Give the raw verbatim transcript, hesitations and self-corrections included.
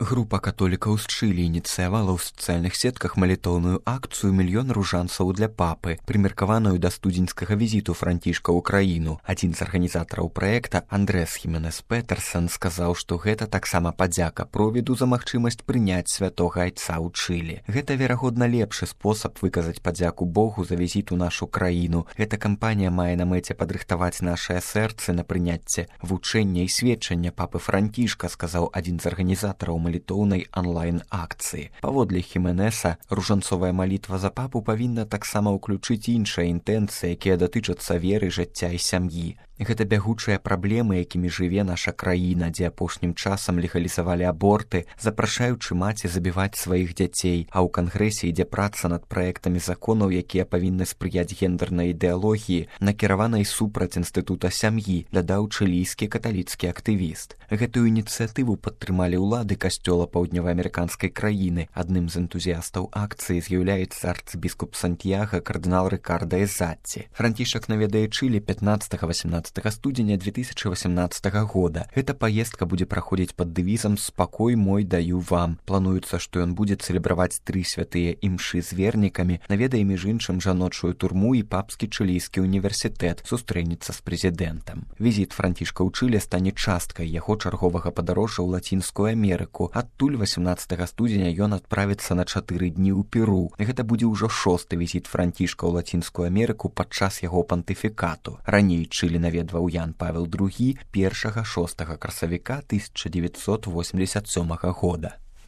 Група католікаў з Чылі ініцыявала ў сацыяльных сетках малітоўную акцыю «Мільён ружанцаў для папы», прымеркаваную да студзеньскага візіту Францішка ў краіну. Адзін з арганізатараў праекта, Андрэс Хіменес Петерсон, сказаў, што гэта таксама падзяка провіду за магчымасць прыняць святога айца ў Чылі. Гэта, верагодна, лепшы спосаб выказаць падзяку Богу за візіт у нашу краіну. Гэта кампанія мае на мэце падрыхтаваць нашыя сэрцы на прыняцце вучэння і сведчання папы Францішка, сказаў адзін з арганізатараў малітоўнай онлайн-акцыі. Паводле Хіменеса, ружанцовая малітва за папу павінна таксама ўключыць іншыя інтэнцыі, якія датычацца веры, жыцця і сям'і. Гэта бягучыя праблемы, якімі жыве наша краіна, дзе апошнім часам легалізавалі аборты, запрашаючы маці забіваць сваіх дзяцей, а ў кангрэсе ідзе праца над праектамі законаў, якія павінны спрыяць гендернай ідэалогіі, накіраванай супраць інстытута сям'і, дадаў чылійскі каталіцкі актывіст. Гэтую ініцыятыву падтрымалі ўлады касцёла паўднёваамерыканскай краіны. Адным з энтузіястаў акцыі з'яўляецца арцыбіскуп Сантьяга кардынал Рыкарда Эзатці. Францішак наведае Чылі пятнаццатага-васемнаццатага студзеня две тысячи восемнадцатага года. Эта паездка будзе праходзіць пад дэвізам «Спакой мой даю вам». Плануецца, што ён будзе цэлебраваць тры святыя імшы з вернікамі, наведае між іншым жаночую турму і папскі чылійскі універсітэт, сустрэнецца з прэзідэнтам. Візіт Францішка ў Чылі стане часткай яго чарговага падарожжа ў Лацінскую Амерыку. Адтуль васемнаццатага студзеня ён адправіцца на чатыры дні ў Перу. Гэта будзе ўжо шосты візіт Францішка ў Лацінскую Амерыку падчас яго пантыфікату. Раней Чылі наведваў Ян Павел другі першага шостага красавіка тысяча дзевяцьсот восемьдесят сёмага года.